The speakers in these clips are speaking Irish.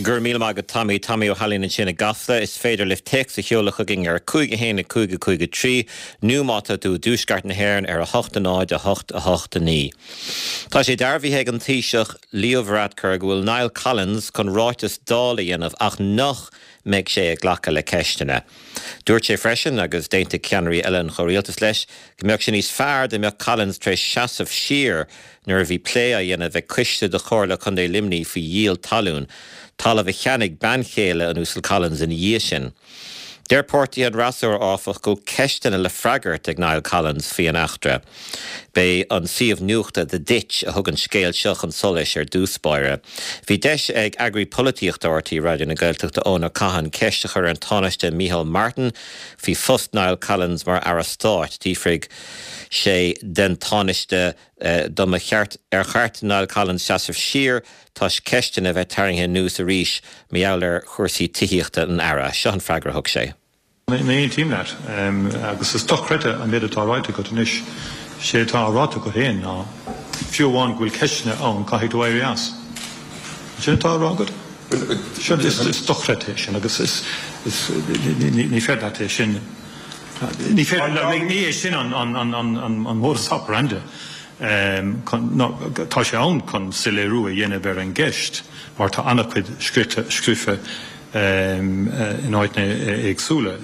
Go raibh míle maith agat Tommy. Tommy Ó hAilín ansin i gCasla. Is féidir libh téacs a sheoladh chugainn ar 5 1 5 5 3 nó má tá tú i dtuaisceart na hÉireann ar 8 0 8 8 9. Tá sé dearbhaithe ag an Taoiseach Leo Varadkar go bhfuil Niall Collins chun ráiteas Dála a dhéanamh ach nach mbeidh sé ag glacadh le ceisteanna. Dúirt sé freisin, agus d'aontaigh ceannairí eile an chomhrialtais leis, go mbeadh sé níos fearr dá mbeadh Collins tar éis seasamh siar nuair a bhí plé á dhéanamh ag coiste de Chomhairle Contae Luimnigh faoi dhíol talún, talamh a cheannaigh bean chéile an Uasail Collins ina dhiaidh sin. Deir páirtithe an fhreasúra, áfach, go bhfuil ceisteanna le freagairt ag Niall Collins faoi an eachtra. B'é an suíomh nuachta The Ditch a thug an scéal seo chun solais ar dtús báire. Bhí deis ag Eagraí Polaitíochta RTÉ Raidió na Gaeltachta Eoin Ó Catháin ceist a chur ar an Tánaiste Micheál Martin faoi phost Niall Collins mar Aire Stáit. D'fhiafraigh sé den Tánaiste dá mba cheart, ar cheart do Niall Collins seasamh siar toisc ceisteanna a bheith tarraingthe anuas arís mar gheall ar chúrsaí tithíochta an Aire. Seo an freagra a thug sé. Ní aontaím leat, agus is dochreidte an méid atá ráite agat anois. Sé atá ráite agat féin ná, fiú amháin go bhfuil ceisteanna ann, caithfidh tú éirí as. An sin atá á rá agat? Is dochreidte é sin agus is, ní féidir leat é sin, ní féidir, ní é sin an modus operandi. Tá sé ann chun soiléiriú a dhéanamh ar an gceist mar tá an-chuid scríofa in áiteanna éagsúla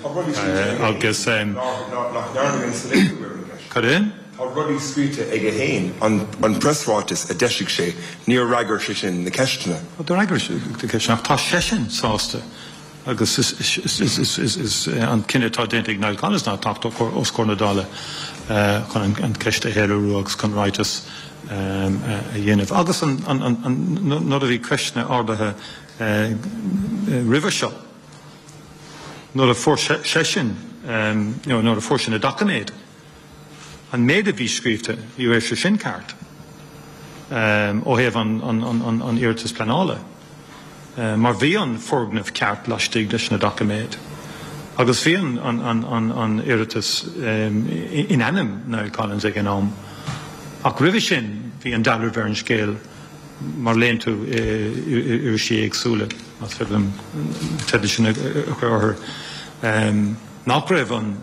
agus. Nach ndearnadh aon soiléiriú ar an gceist. Cad é? Tá rudaí scríte aige féin, an preasráiteas a d'eisigh sé, níor fhreagair sé sin na ceisteanna. D'fhreagair sé na ceisteanna ach tá seisean sásta Agus is an cinneadh atá déanta ag Niall Collins ná teacht os comhair na Dála chun an cheist a shoiléiriú agus chun ráiteas a dhéanamh. Agus nuair a bhí ceisteanna ardaithe roimhe seo, nuair a fuair seisean, nuair a fuair sé na doiciméid, an méid a bhí scríofa, ní raibh sé sin ceart ó thaobh an iarratais pleanála. mar bhí an foirgneamh ceart laistigh leis na doiciméid agus bhí an iarratas in ainm Niall Collins ag an am. Ach roimhe sin bhí an dealramh ar an scéal mar léann tú i irisí éagsúla, más féidir liom an teideal sin a chur orthu, nach raibh an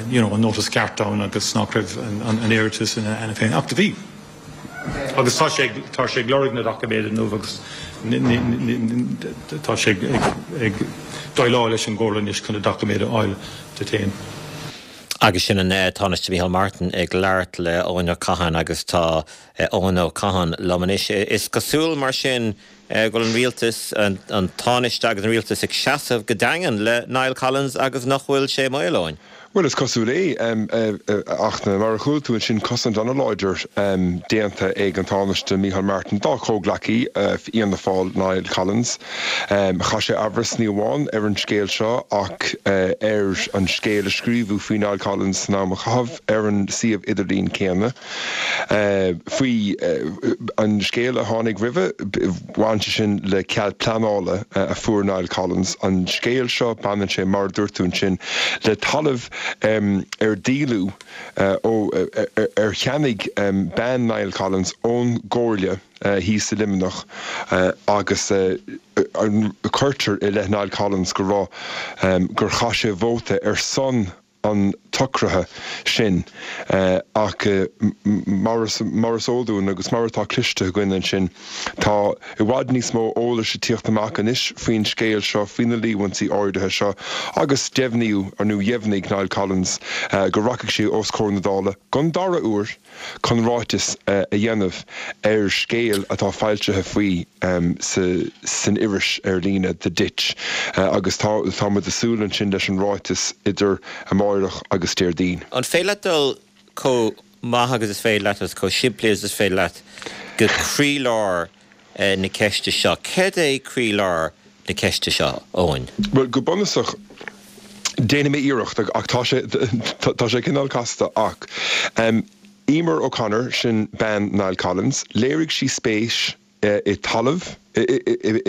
you know an notice ceart ann agus nach raibh an iarratas ina ainm féin. Ach do bhí. Agus tá sé, tá sé ag lorg na doiciméad inniu agus tá sé ag déileáil leis an gComhairle anois chun na doiciméid a fháil di féin. Agus sin an Tánaiste Micheál Martin ag labhairt le Eoin Ó Catháin agus tá Eoin Ó Catháin liom anois. Is cosúil mar sin go bhfuil an rialtas, an Tánaiste agus an rialtas ag seasamh go daingean le Niall Collins agus nach bhfuil sé i mbaol, Eoin? Bhuel, is cosúil é, ach mar a chuala tú ansin, cosaint an-láidir déanta ag an Tánaiste Micheál Martin dá chomhghleacaí Fhianna Fáil, Niall Collins. Chaith sé amhras ní amháin ar an scéal seo ach ar an scéal a scríobhadh faoi Niall Collins san am a caitheadh ar an suíomh idirlín céanna. Faoi an scéal a tháinig roimhe, bhain sé sin le cead pleanála a fuair Niall Collins. An scéal seo, baineann sé, mar a dúirt tú ansin, le talamh ar díoladh ó, ar cheannaigh bean Niall Collins ón gComhairle thíos i Luimneach agus cuirtear i leith Niall Collins go raibh, gur chaith sé vóta ar son an tsocraithe sin ach mar is eol dúinn agus mar atá cloiste againn ansin, tá i bhfad níos mó eolais ag tíocht amach anois faoin scéal seo, faoi na líomhaintí áirithe seo agus deimhníodh, nó dheimhnigh Niall Collins go rachaidh sé os comhair na Dála don dara huair. chun ráiteas a dhéanamh ar scéal atá foilsithe faoi san iris ar líne The Ditch agus tá tá muid ag súil ansin leis an ráiteas idir amáireach agus Déardaoin. An féidir leat dul chomh maith agus is féidir leat agus chomh simplí agus is féidir leat go croílár na ceiste seo. Céard é croílár na ceiste seo, Eoin? Bhuel, go bunúsach, déanfaidh mé iarracht, ach tá sé, tá sé cineál casta, ach Emer O'Connor, sin bean Niall Collins, léirigh sí spéis i talamh, i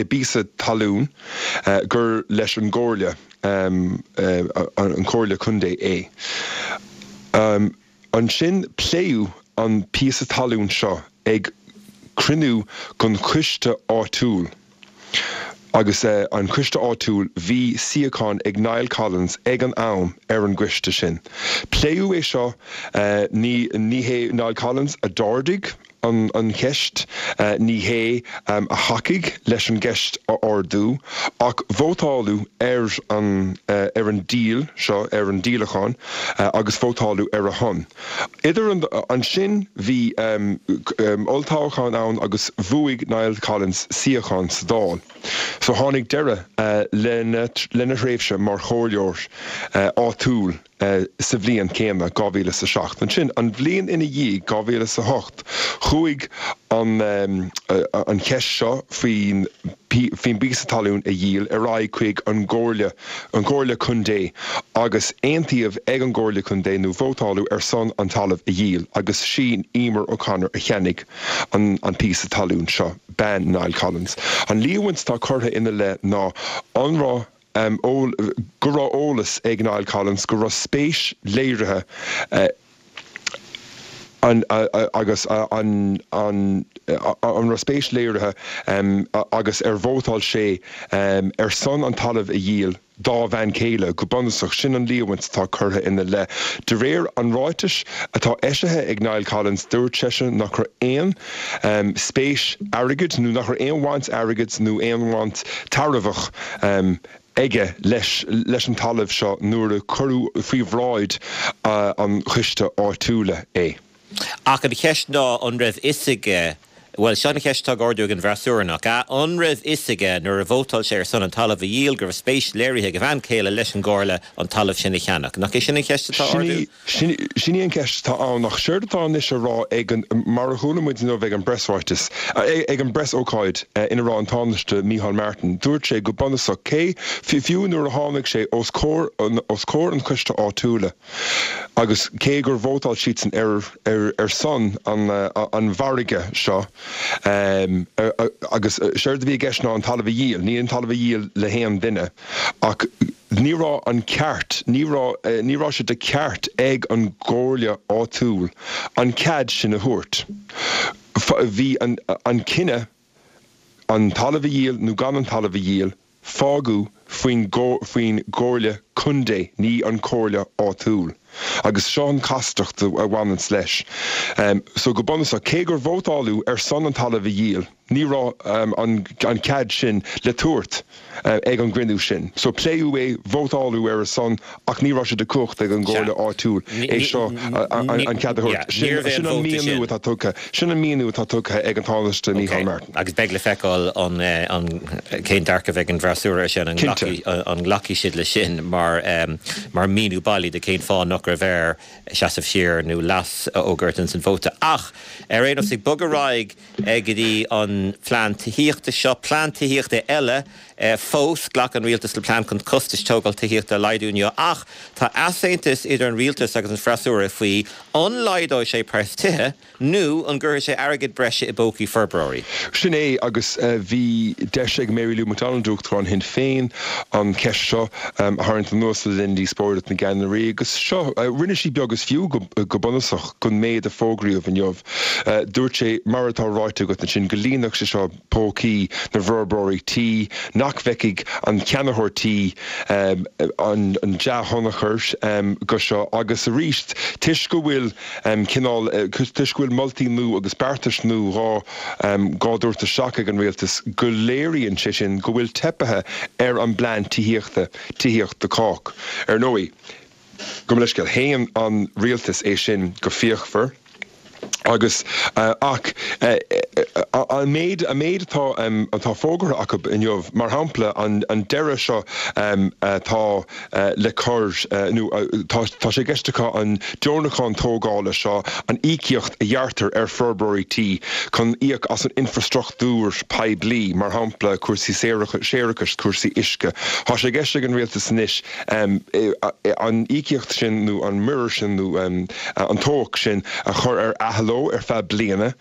bpíosa talún gur leis an gComhairle, an Chomhairle Contae é. Ansin pléadh an píosa talún seo ag cruinniú den choiste áitiúil. Agus an coiste áitiúil, bhí suíochán ag Niall Collins ag an am ar an gcoiste sin. Pléadh é seo, ní ní hé Niall Collins a d'ardaigh an cheist, ní hé a thacaigh leis an gceist a ardú, ach vótáladh ar an ar an díol seo, ar an díolachán, agus vótáladh ar a shon. Idir an ansin bhí olltoghchán ann agus bhuaigh Niall Collins suíochán sa Dáil. So tháinig deireadh lena lena thréimhse mar chomhairleoir áitiúil sa bhliain chéanna, 2007. Ansin an bhliain ina dhiaidh, 2008, chuaigh an an cheist seo faoin faoin bpíosa talún a dhíol ar aghaidh chuig an gComhairle an Chomhairle Contae agus aontaíodh ag an gComhairle Contae nó vótáladh ar son an talamh a dhíol agus sí Emer O'Connor a cheannaigh an an píosa talún seo, bean Niall Collins. An líomhaint atá curtha ina leith ná an raibh go raibh eolas ag Niall Collins go raibh spéis léirithe an agus an an an raibh spéis léirithe agus ar vótáil sé ar son an talamh a dhíol dá bhean chéile, go bunúsach. Sin an líomhaint atá curtha ina leith. De réir an ráitis atá eisithe ag Niall Collins, dúirt seisean nach raibh aon spéis airgid nó nach raibh aon bhaint airgid nó aon bhaint tairbheach aige leis leis an talamh seo nuair a cuireadh faoi bhráid an choiste áitiúla é. Ach an cheist ná an raibh fhios aige, bhuel, seo an cheist atá á ardú ag an bhfreasúra, nach ea? An raibh fhios aige nuair a vótáil sé ar son an talamh a dhíol go raibh spéis léirithe ag a bhean chéile leis an gComhairle an talamh sin a cheannach? Nach é sin an cheist atá á ardú? Sin í an cheist atá ann, ach séard atá anois á rá ag an, mar a chuala muid inniu ag an bpreasráiteas, ag an bpreasócáid ina raibh an Tánaiste Micheál Martin, dúirt sé go bunúsach, cé, fiú nuair a tháinig sé os comhair, os comhair an choiste áitiúla agus cé gur vótáil siadsan ar, ar, ar son an, an mhargaidh seo, agus séard a bhí i gceist ná an talamh a dhíol, ní an talamh a dhíol le haon duine ach, Ní raibh an ceart, ní raibh, ní raibh sé de cheart ag an gcomhairle áitiúil an cead sin a thabhairt. Bhí an, an cinneadh an talamh a dhíol nó gan an talamh a dhíol, fágadh faoin, faoin gcomhairle contae, ní an chomhairle áitiúil. Agus seo an chastacht a bhaineanns leis. So go bunúsach, cé gur vótáladh ar son an talamh a dhíol, Ní raibh an cead sin le tabhairt ag an gcruinniú sin. So pléadh é, vótáladh ar a son ach ní raibh sé de chumhacht ag an gcomhairle áitiúil é seo an cead a thabhairt. Sin an míniú atá tugtha. Sin an míniú atá tugtha ag an Tánaiste Micheál Martin. Agus beidh le feiceáil an cén dearcadh a bheidh ag an bhfreasúra air sin, an nglacfaidh siad leis sin mar míniú bailí de cén fáth nach raibh air seasamh siar nó leas a fhógairt ins an vóta. Ach ar aon nós, ag bogadh ar aghaidh, go dtí an plean tithíochta seo, plean tithíochta eile fós. Ghlac an rialtas le plean chun costais tógáil tithíochta a laghdú inniu ach tá easaontas idir an rialtas agus an freasúra faoi an laghdóidh sé praghas tithe nó an gcuirfidh sé airgead breise i bpócaí forbróirí. Sin é agus bhí deis ag Mary Lou McDonald, Uachtarán Shinn Féin, an cheist seo a tharraingt anuas le linn díospóireacht na gceannairí agus seo, rinne sí beag is fiú go bunúsach den méid a fógraíodh inniu. Dúirt sé, mar atá ráite agat ansin, go líonfadh sé seo pócaí na bhforbróirí tí, nach bhfeicfidh an ceannaitheoir tí an dea-thionchar de seo agus arís, toisc go bhfuil cineál, toisc go bhfuil moltaí nua agus beartais nua dhá dhá dtabhairt isteach ag an rialtas, go léiríonn sé sin go bhfuil teipithe ar an bplean tithíochta, Tithíocht do Chách. Ar ndóigh. Gabh mo leithscéal, shéan an rialtas é sin go fíochmhar agus ach an méid an méid atá atá fógartha acu inniu, mar shampla an an deireadh seo atá le cur nó tá tá sé i gceist acu an deonachán tógála seo, an íocaíocht a ghearrtar ar forbróirí tí chun íoc as an infreastruchtúr poiblí, mar shampla cúrsaí séarachais, cúrsaí uisce. Tá sé i gceist ag an rialtas anois an íocaíocht sin nó an muirear sin nó an tobhach sin a chur ar athló ar feadh bliana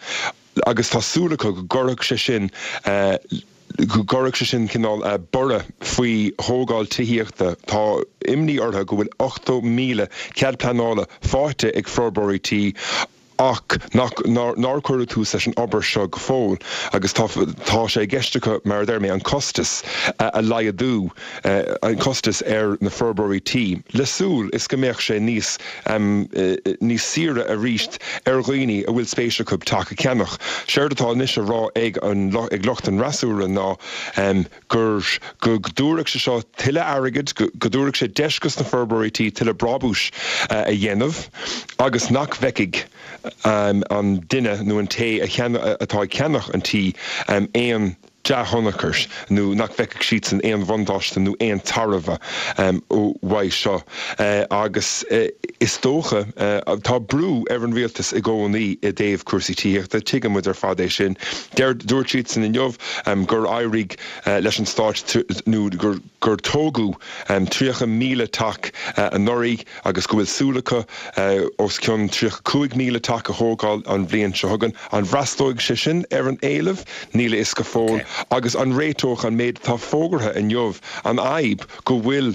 agus tá súil acu go gcuirfeadh sé sin go gcuirfeadh sé sin cineál borradh faoi thógáil tithíochta. Tá imní orthu go bhfuil 80,000 cead pleanála faighte ag forbróirí tí. Ach nach, nár cuireadh tús leis an obair seo go fóill agus tá, tá sé i gceist acu, mar a deir mé, an costas a laghdú, an costas ar na forbróirí tí, le súil is go mbeadh sé níos, níos saoire arís ar dhaoine a bhfuil spéis acu teach a cheannach. Séard atá anois á rá ag an, ag lucht an fhreasúra ná gur, go dtabharfadh sé seo tuilleadh airgid, go dtabharfadh sé deis dos na forbróirí tí tuilleadh brabúis a dhéanamh agus nach bhfeicfidh an duine nó an té atá ag ceannach an tí aon dea-thionchar nó nach bhfeicfidh siadsan aon bhuntáiste nó aon tairbhe uaidh seo. Agus is dócha, tá brú ar an rialtas i gcónaí i dtaobh cúrsaí tithíochta, tuigeann muid ar fad é sin. Deir, dúirt siadsan inniu gur éirigh leis an stát nó gur gur tógadh 30,000 teach anuraidh agus go bhfuil súil acu os cionn 35,000 teach a thógáil an bhliain seo chugainn. An bhfreastlóidh sé sin ar an éileamh? Níl a fhios go fóill. Agus an réiteoidh an méid atá fógartha inniu an fhadhb go bhfuil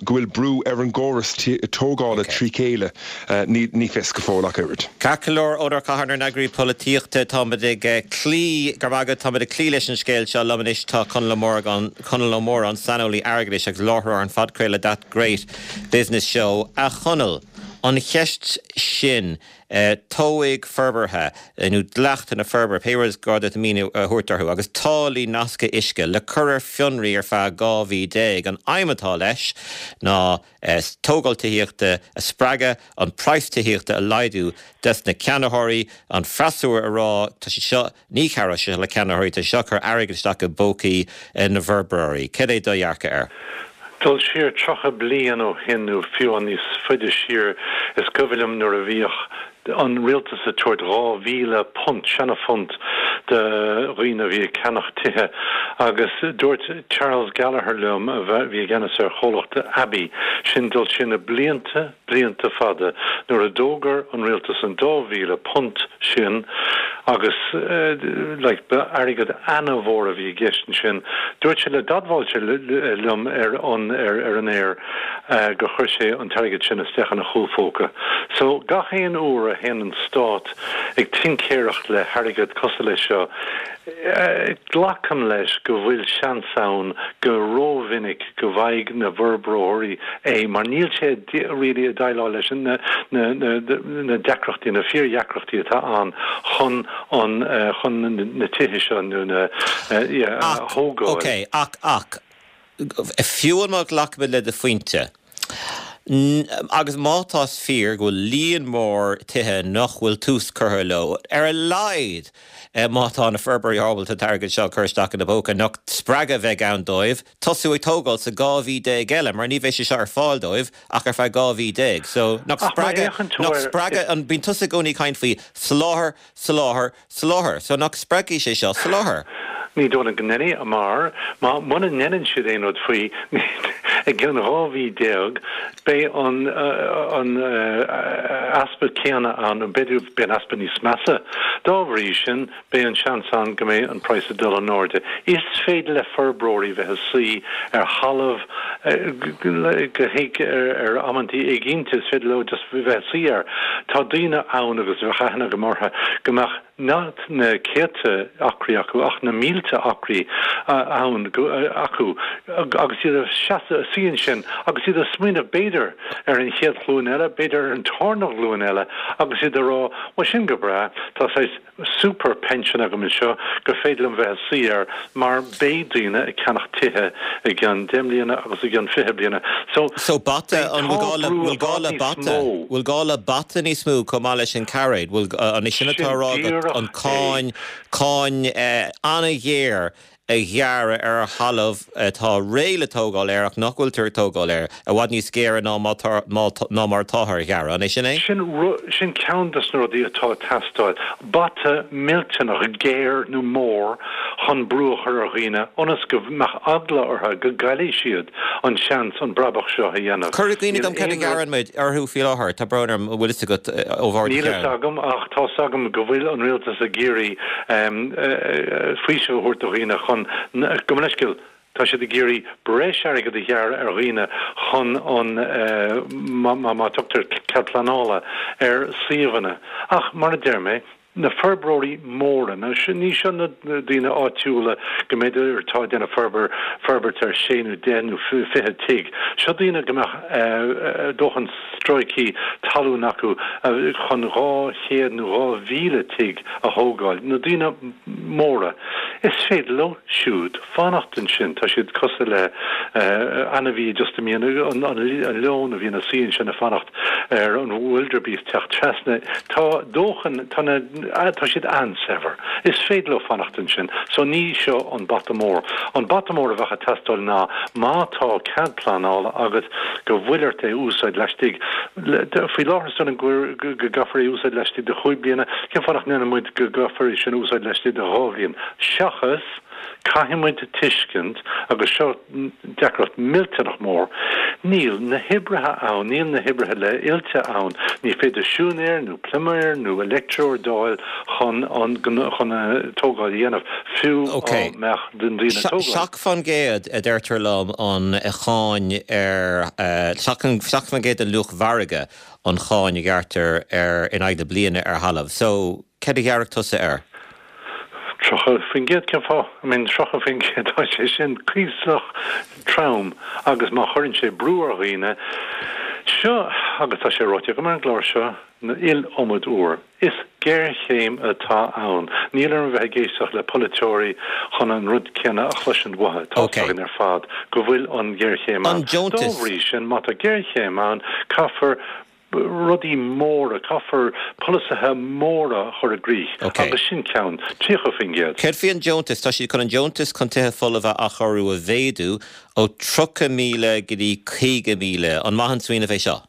go bhfuil brú ar an gcóras tógála trí chéile? Ní fios go fóill ach oiread. Ceart go leor, Eoin Ó Catháin, ár n-eagraí polaitíochta, táimid ag cloí, go raibh maith agat, táimid ag cloí leis an scéal seo. Liom anois tá Conall Ó Móráin, Conall Ó Móráin, saineolaí airgeadais agus láithreoir an phodchraoladh That Great Business Show. A Chonaill, an cheist sin, tobhaigh forbartha nó dleachtanna forbartha, pé rud is gá duit míniú a thabhairt orthu, agus táillí nasctha uisce le cur ar fionraí ar feadh 12 mhí. An aidhm atá leis ná tógáil tithíochta a spreagadh, an praghas tithíochta a laghdú dos na ceannaitheoirí, an freasúra a rá tá sé seo, ní chabhróidh sé seo le ceannaitheoirí, tá sé seo ag cur airgead isteach i bpócaí na bhforbróirí. Cad é do dhearcadh air? Dul siar 30 bliain ó shin nó fiú níos faide siar, is cuimhin liom nuair a bhíodh an rialtas ag tabhairt £2,000, seana-phunt, do dhaoine a bhí ag ceannach tithe agus dúirt Charles Gallagher liom, a bhí i gceannas ar chomhlacht Abbey, sin dul siar na blianta, blianta fada, nuair a d'fhógair an rialtas an £2,000 sin agus like ba airgead ana-mhór a bhí i gceist ansin, dúirt sé le, d'admháil sé liom ar an, ar an aer gur chuir sé an t-airgead sin isteach ina chúl phóca. So gach aon uair a théann an stát ag tincéireacht le hairgead cosúil leis seo, glacaim leis go bhfuil seans ann go rómhinic go bhfaighidh na bhforbróirí é mar níl sé really ag déileáil leis na na deacrachtaí, na fíordheacrachtaí atá ann chun an chun na tithe seo nó na yeah a Ach, thógáil. ok, ach, ach, fiú má ghlacaimid le do phointe, agus má tá fíor go bhfuil líon mór tithe nach bhfuil tús curtha leo, ar a laghad má tá na forbróirí ábalta an t-airgead seo a chur isteach ina bpóca, nach spreagadh a bheidh ann dóibh tosú ag tógáil sa 12 mhí eile, mar ní bheidh sé seo ar fáil dóibh ach ar feadh 12 mhí. So, nach spreagadh, nach spreagadh, an, bíonn tusa i gcónaí ag caint faoi soláthar, soláthar, Soláthar. So nach spreagfaidh sé seo soláthar? Ní dóigh liom go ndéanfaidh, mar má muna ndéanann siad aon rud faoi i gcionn 12 mhí beidh an an easpa céanna ann nó b'fhéidir beidh an easpa níos measa. Dá bhrí sin beidh an seans ann go mbeidh an praghas ag dul in airde. Is féidir le forbróirí bheith ag suí ar thalamh go héag ar amantaí éiginnte, is féidir leo just bheith ag suí air. Tá daoine ann agus bheadh aithne agam orthu go mbeadh not na céadta acraí acu ach na mílte acraí ann acu agus iad ag seasamh, ag suí ansin agus iad ag smaoineamh b'fhéidir ar an chéad ghlúin eile, b'fhéidir ar an tarna ghlúin eile agus iad ag rá bhuel sin go breá, tá saghas super pension agam anseo gur féidir liom bheith ag suí air mar beidh daoine ag ceannach tithe i gcionn 10 mbliana agus i gcionn 20 bliana. So So bata, an bhfuil gá le, bhfuil gá le bata, bhfuil gá le bata níos mó chomh maith leis an cairéad? Bhfuil, an é sin atá á rá agat, an cáin, cáin an-ghéar a ghearradh ar thalamh atá réidh le tógáil air ach nach bhfuiltear ag tógáil air, i bhfad níos géire ná ná mar atáthar a ghearradh. An é sin é? Sin sin ceann de na rudaí atá ag teastáil. Bata millteanach géar nó mór chun brú a chur ar dhaoine ionas go mbeadh eagla orthu go gcaillfidh siad an seans an brabach seo a dhéanamh. Cuir i gcuimhne dom cad a ghearrann muid orthu faoi láthair. Tá brón orm, an bhfuil fhios agat ó bharr do Níl fhios agam ach tá's agam go bhfuil an rialtas ag iarraidh faoiseamh a thabhairt do dhaoine chun, gabh mo leithscéal. Tá siad ag iarraidh breis airgid a ghearradh ar dhaoine chun an, má tugtar cead pleanála ar suíomhanna. Ach mar a deir mé, na forbróirí móra, ní seo na daoine áitiúla go mb'fhéidir atá ag déanamh forbairt ar sé nó deich nó 20 tigh. Seo daoine go mbeadh dóthain stráicí talún acu chun 200 nó 2,000 tigh a thógáil. Na daoine móra, is féidir leo siúd fanacht ansin. Tá siad cosúil le ainmhí just a mbíonn, an leon a bhíonn ina suí ansin ag fanacht ar an wildebeest teacht trasna. Tá dóthain, tá na, tá siad an-saibhir. Is féidir leo fanacht ansin. So ní seo an bata mór. An bata mór a bheadh ag teastáil ná má tá cead pleanála agat go bhfuil ort é a úsáid laistigh, faoi láthair is dóigh liom go gcaithfear é a úsáid laistigh de chúig bliana, cén fáth nach ndéanann muid go gcaithfear é sin a úsáid laistigh de dhá bhliain? Seachas. Caithfidh muid tuiscint, agus seo deacracht millteanach mór, níl na hoibrithe ann, níl na hoibrithe le oilte ann, ní féidir siúinéir nó pluiméir nó leictreoir d'fháil chun an chun an tógáil a dhéanamh, fiú dá mbeadh na daoine ag tógáil. 7% a deirtear liom an cháin ar, 7% den luach mhargaidh an cháin a ghearrtar ar in aghaidh na bliana ar thalamh. So. Céard a ghearrfadh tusa air? 30%, cén fáth? I mean, 30%, tá sé sin cuíosach trom agus má chuireann sé brú ar dhaoine, seo, agus tá sé ráite agam ar an gclár seo an iliomad uair, is géarchéim atá ann. Níl orm a bheith ag éisteacht le polaiteoirí chun an rud céanna a chloisint uathu. Tá 'fhios againn ar fad go bhfuil an ghéarchéim ann. Dá bhrí sin, má tá géarchéim ann, caithfear rudaí móra, caithfear polasaithe móra a chur i gcrích agus sin ceann, 30%. Céard faoi an deontas? Tá siad chun an deontas chun tithe folmha a athchóiriú a mhéadú ó 30,000 go dtí 50,000. An maith an smaoineamh é seo?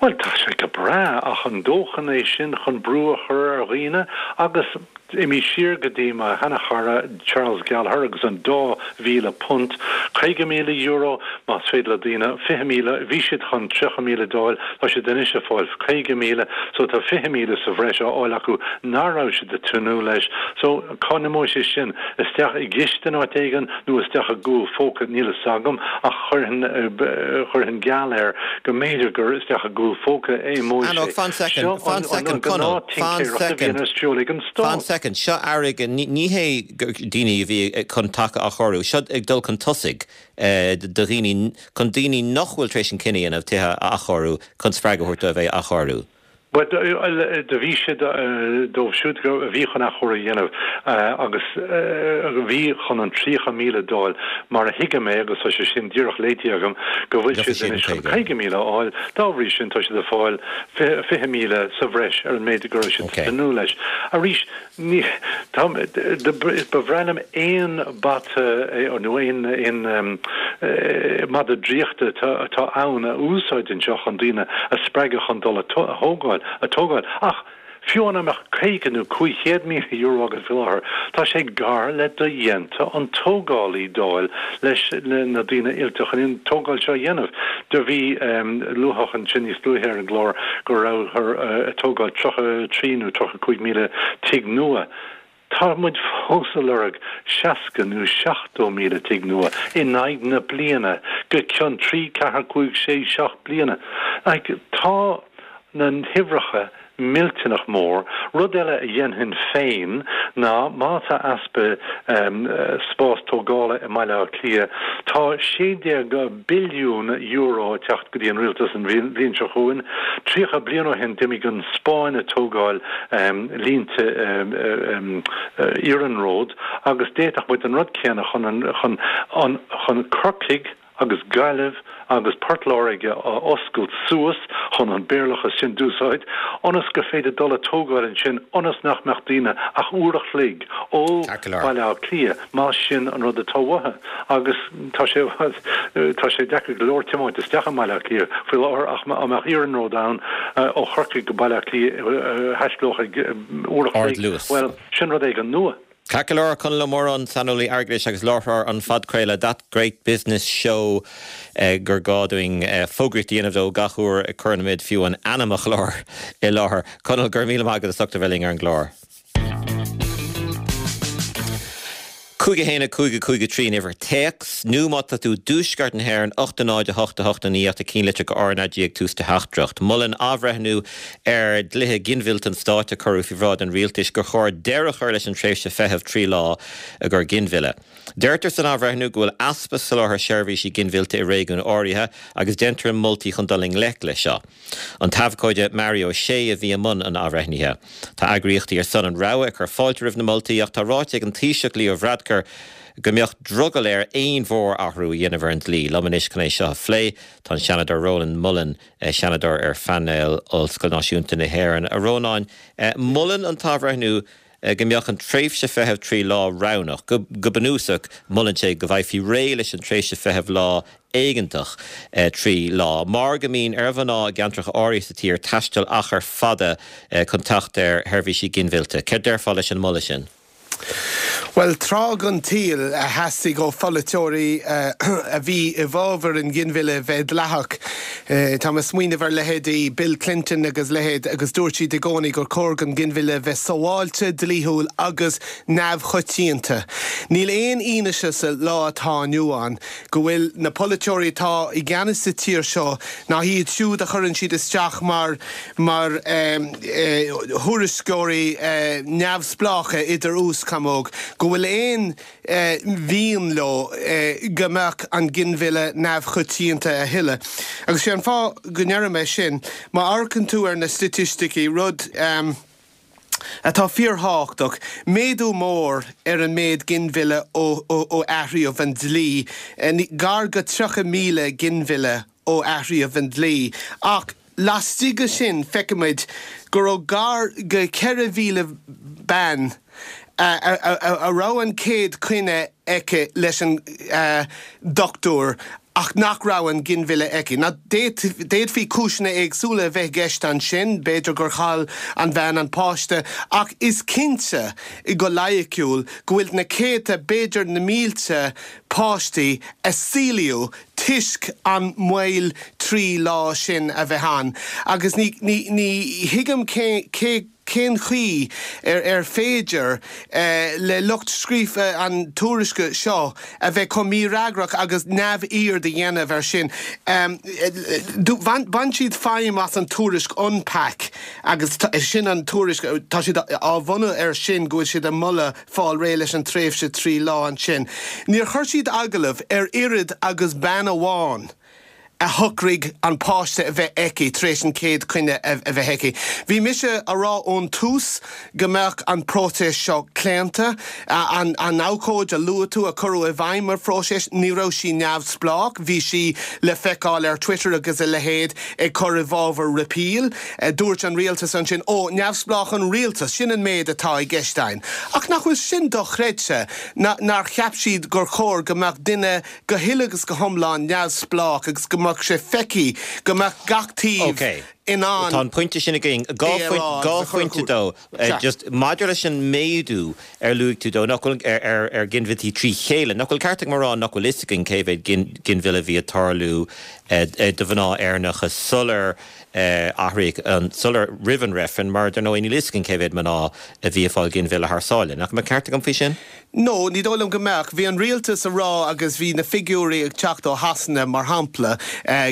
Bhuel, tá sé go breá, ach an dóthain é sin chun brú a chur ar dhaoine agus Imigh siar go dtí mo sheana-chara Charles Gallagher agus an dá £2,000, €50,000, más féidir le daoine, 20,000, bhí siad chun 30,000 d'fháil, tá siad anois ag fáil 50,000, so tá 20,000 sa bhreis á fháil acu nach raibh siad ag tnúth leis. So, cá n-imeoidh sé sin? Isteach i gciste in áit éigin nó isteach i gcúl phóca, níl fhios agam, ach chuirfinn, chuirfinn geall air go mb'fhéidir gur isteach i gcúl phóca a imeoidh sé. Fan soicind, fan soicind, Conall. Fan soicind, fan soicind, seo airgead, ní hé daoine a bhí chun teach a athchóiriú, seo ag dul chun tosaigh do dhaoine, chun daoine nach bhfuil tar éis an cinneadh a dhéanamh tithe a athchóiriú, chun spreagadh a thabhairt dóibh é a athchóiriú. Bhuel, do bhí siad, dóibh siúd a bhí chun athchóiriú a dhéanamh agus a bhí chun an 30,000 d'fháil, mar a thuigim é, agus tá sé sin díreach léite agam, go bhfuil siad anois chun 50,000 a fháil, dá bhrí sin tá siad ag fáil 20,000 sa bhreis ar an méid go raibh siad ag tnúth leis. Arís, ní, tá, ba bhreá liom aon bata nó aon, aon mhada draíochta atá ann a úsáid anseo chun daoine a spreagadh chun dul a thógáil, a tógáil. Ach fiú dá mbeadh 50 nó €500,000 agat faoi láthair, tá sé gar le dodhéanta an tógálaí d'fháil leis na daoine oilte chun an tógáil seo a dhéanamh. Do bhí luadh ansin níos luaithe ar an gclár go rabhthar ag tógáil 33 nó 35,000 tigh nua. Tá muid fós ag lorg 60 nó 70,000 tigh nua in aghaidh na bliana go ceann trí, ceathair, cúig, sé, seacht bliana. Like, tá na huimhreacha millteanach mór. Rud eile a dhéanfainn féin ná má tá easpa spás tógála i mBaile Átha Cliath, tá €16 billiún ag teacht go dtí an rialtas an bhliain seo chugainn. 30 bliain ó shin d'imigh an Spáinn ag tógáil línte iarnróid agus d'fhéadfadh muid an rud céanna chun chun chun Corcaigh agus Gaillimh agus Port Láirge a oscailt suas, chun an Béarlachas sin d'úsáid, ionas gur féidir dul a tógáil ansin ionas nach mbeadh daoine ach uair a chloig ó Bhaile Átha Cliath, más sin an rud atá uathu. Agus tá sé, tá sé deacair go leor tiomáint isteach i mBaile Átha Cliath faoi láthair ach dá mbeadh iarnród ann ó Chorcaigh go Baile Átha Cliath a thaistealódh ag uair a chloig, bhuel, sin rud éigin nua. Ceart go leor, Conall Ó Móráin, saineolaí airgeadais agus láithreoir an phodchraoladh That Great Business Show gur gá dúinn fógraíocht a dhéanamh dó gach uair a chuireann fiú an ainm an chláir i láthair. Conall, go raibh míle maith agat as ucht a bheith linn ar an gclár. 5 1 5 5 3 an uimhir téacs, nó má tá tú i dtuaisceart na hÉireann, 8 0 8 8 9 ach tá cinnlitir go RnaG ag tús do theachtaireacht. Molann athbhreithniú ar dhlíthe ginmhillte an stáit a cuireadh faoi bhráid an rialtais gur chóir deireadh a chur leis an tréimhse feithimh 3 lá i gcomhair ginmhilleadh. Deirtear san athbhreithniú go bhfuil easpa soláthair seirbhísí ginmhillte i réigiúin áirithe agus déantar moltaí chun dul i ngleic leis seo. An t-abhcóide Mario Shea a bhí i mbun an athbhreithnithe. Tá eagraíochtaí ar son an rogha ag cur fáilte roimh na moltaí ach tá ráite ag an Taoiseach Leo Varadkar go mbeadh drogall air aon mhór-athrú a dhéanamh ar an dlí. Liom anois chun é seo a phlé tá an Seanadóir Rónán Mullen, Seanadóir ar phainéal Ollscoil Náisiúnta na hÉireann. A Rónáin, molann an t-athbhreithniú go mbeadh an tréimhse feithimh 3 lá roghnach. Go bunúsach, molann sé go bhfaighfí réidh leis an tréimhse feithimh lá éigeantach 3 lá, mar go mbíonn ar mhná i gceantracha áirithe sa tír taisteal achar fada chun teacht ar sheirbhísí ginmhillte. Céard déarfá leis an moladh sin? Bhuel, tráth den tsaol a theastaigh ó pholaiteoirí a bhí i bhfabhar an ghinmhilleadh bheith dleathach. Táim ag smaoineamh ar leithéidí Bill Clinton agus leithéid agus dúirt siad i gcónaí gur chóir don ghinmhilleadh bheith sábháilte, dlíthiúil agus neamhchoitianta. Níl aon fhianaise sa lá atá inniu ann go bhfuil na polaiteoirí atá i gceannas sa tír seo ná iad siúd a chuireann siad isteach mar mar thuairisceoirí neamhspleácha idir aos camóg, go bhfuil aon mhian leo go mbeadh an ginmhilleadh neamhchoitianta a thuilleadh. Agus sé an fáth go ndeirim é sin, má amharcann tú ar na staitisticí, rud atá fíorthábhachtach, méadú mór ar an méid ginmhilleadh ó athraíodh an dlí, gar go 30,000 ginmhilleadh ó athraíodh an dlí, ach laistigh de sin feicimid go raibh gar go 4,000 bean a raibh an chéad choinne aici leis an dochtúir ach nach raibh an ginmhilleadh aici. Now d'fhéadfaí cúiseanna éagsúla a bheith i gceist ansin, b'fhéidir gur chaill an bhean an páiste, ach is cinnte go loighiciúil go bhfuil na céadta, b'fhéidir na mílte páistí a saolaíodh toisc an mhoill 3 lá sin a bheith ann agus ní ní thuigim cé cé cén chaoi ar ar féidir le lucht scríofa an tuairisce seo a bheith chomh mífhreagrach agus neamhaird a dhéanamh air sin. Bhain siad feidhm as an tuairisc UNPAC agus sin an tuairisc, tá siad á bhunú air sin go bhfuil siad ag moladh fáil réidh leis an tréimhse 3 lá ansin. Níor chuir siad agallamh ar oiread agus bean amháin a shocraigh an páiste a bheith aici tar éis an chéad choinne a bheith aici. Bhí mise a rá ón tús go mbeadh an próiseas seo claonta. An abhcóide a luaigh tú a cuireadh i bhfeidhm ar phróiseas, ní raibh sí neamhspleách, bhí sí le feiceáil ar Twitter agus a leithéid ag cur i bhfabhar repeal. Dúirt an rialtas ansin, Ó, neamhspleách an rialtas, sin an méid atá i gceist againn. Ach nach bhfuil sin dochreidte, nár cheap siad gur chóir go mbeadh duine go huile agus go hiomlán neamhspleách agus go mbeadh sé feicthe go mbeadh gach taobh in ann Tá an pointe sin againn. é a rá agus a chur i phointe dó. Just maidir leis an méadú ar luaigh tú dó, nach bhfuil, ar ar ghinmhilltí trí chéile, nach bhfuil ceart agam a rá nach bhfuil fhios againn cé mhéad ginmhilleadh a bhí ag tarlú do mhná Éireannacha sular athraíodh an, sular, roimh an reifreann, mar dar ndóigh níl fhios againn cé mhéad mná a bhí ag fáil ginmhilleadh thar sáile. Nach mbeadh ceart agam faoi sin? No, ní dóigh liom go mbeadh. Bhí an rialtas a rá agus bhí na figiúirí ag teacht ó Shasana, mar shampla,